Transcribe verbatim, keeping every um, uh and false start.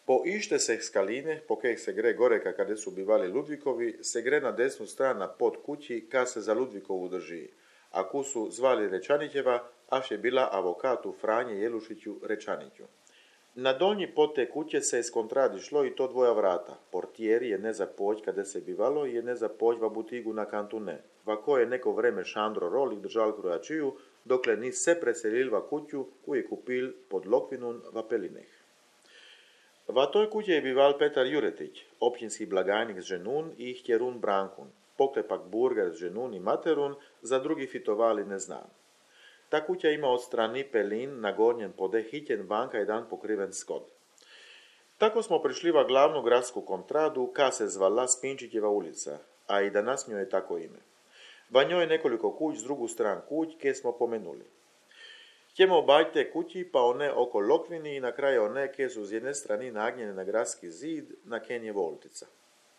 Po ište se skaline, po kojih se gre goreka kada su bivali Ludvikovi, se gre na desnu stranu pod kući ka se za Ludvikovu drži, a ku su zvali Rečanićeva, aš je bila avokatu Franje Jelušiću Rečaniću. Na donji pod te kuće se skontradišlo i to dvoja vrata. Portijeri je ne za poć kada se bivalo i je ne za poć va butigu na kantu ne. Vako je neko vreme Šandro Rolik držal krojačiju, dokle ni se preselil va kuću koju je kupil pod Lokvinun va Pelineh. Va toj kuće je bival Petar Juretić, općinski blagajnik z ženun i htjerun Brankun, poklepak burger z ženun i materun, za drugi fitovali ne znam. Ta kuća ima od strani pelin na gornjem pode hitjen vanka jedan pokriven skod. Tako smo prišli va glavnu gradsku kontradu, ka se zvala Spinčićeva ulica, a i danas njoj je tako ime. Va njoj je nekoliko kuć z drugu stran kuć, ke smo pomenuli. Ćemo obać te kući, pa one oko Lokvini i na kraju one ke su z jedne strani nagnjene na gradski zid, na ken je Voltica.